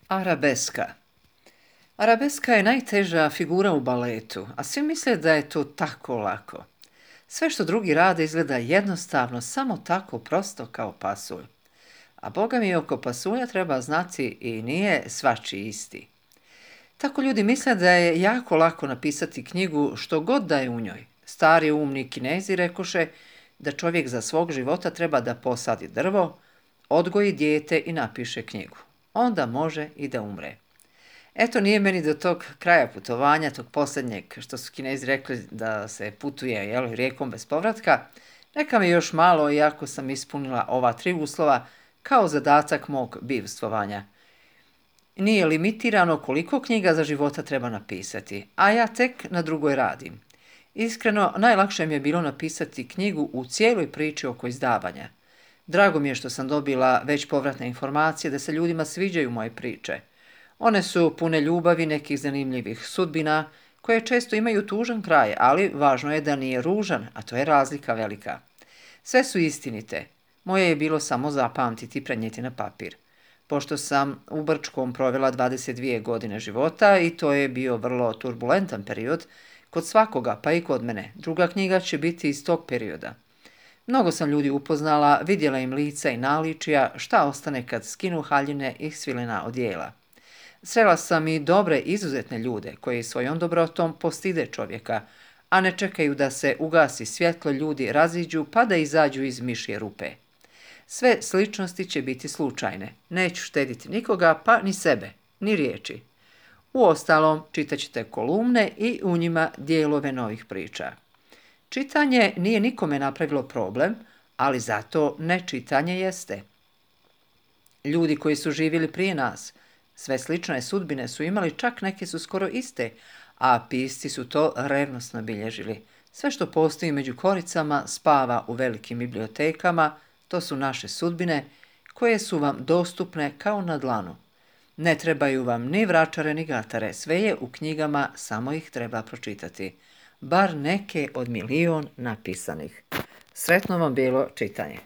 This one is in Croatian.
Arabeska. Arabeska je najteža figura u baletu, a svi misle da je to tako lako. Sve što drugi rade izgleda jednostavno, samo tako prosto kao pasulj. A boga mi oko pasulja treba znati i nije svačiji isti. Tako ljudi misle da je jako lako napisati knjigu što god da je u njoj. Stari umni Kinezi rekoše da čovjek za svog života treba da posadi drvo, odgoji dijete i napiše knjigu. Onda može i da umre. Eto, nije meni do tog kraja putovanja, tog posljednjeg, što su Kinezi rekli da se putuje rijekom bez povratka. Neka mi još malo, iako sam ispunila ova 3 uslova, kao zadatak mog bivstvovanja. Nije limitirano koliko knjiga za života treba napisati, a ja tek na drugoj radim. Iskreno, najlakše mi je bilo napisati knjigu u cijeloj priči oko izdavanja. Drago mi je što sam dobila već povratne informacije da se ljudima sviđaju moje priče. One su pune ljubavi, nekih zanimljivih sudbina, koje često imaju tužan kraj, ali važno je da nije ružan, a to je razlika velika. Sve su istinite. Moje je bilo samo zapamtiti i prenijeti na papir. Pošto sam u Brčkom provela 22 godine života i to je bio vrlo turbulentan period, kod svakoga, pa i kod mene, druga knjiga će biti iz tog perioda. Mnogo sam ljudi upoznala, vidjela im lica i naličija, šta ostane kad skinu haljine i svilena odijela. Srela sam i dobre, izuzetne ljude koji svojom dobrotom postide čovjeka, a ne čekaju da se ugasi svjetlo, ljudi raziđu pa da izađu iz mišje rupe. Sve sličnosti će biti slučajne, neću štediti nikoga pa ni sebe, ni riječi. Uostalom, čitat ćete kolumne i u njima dijelove novih priča. Čitanje nije nikome napravilo problem, ali zato nečitanje jeste. Ljudi koji su živjeli prije nas, sve slične sudbine su imali, čak neke su skoro iste, a pisci su to revnosno bilježili. Sve što postoji među koricama spava u velikim bibliotekama, to su naše sudbine koje su vam dostupne kao na dlanu. Ne trebaju vam ni vračare ni gatare, sve je u knjigama, samo ih treba pročitati. Bar neke od milion napisanih. Sretno vam bilo čitanje.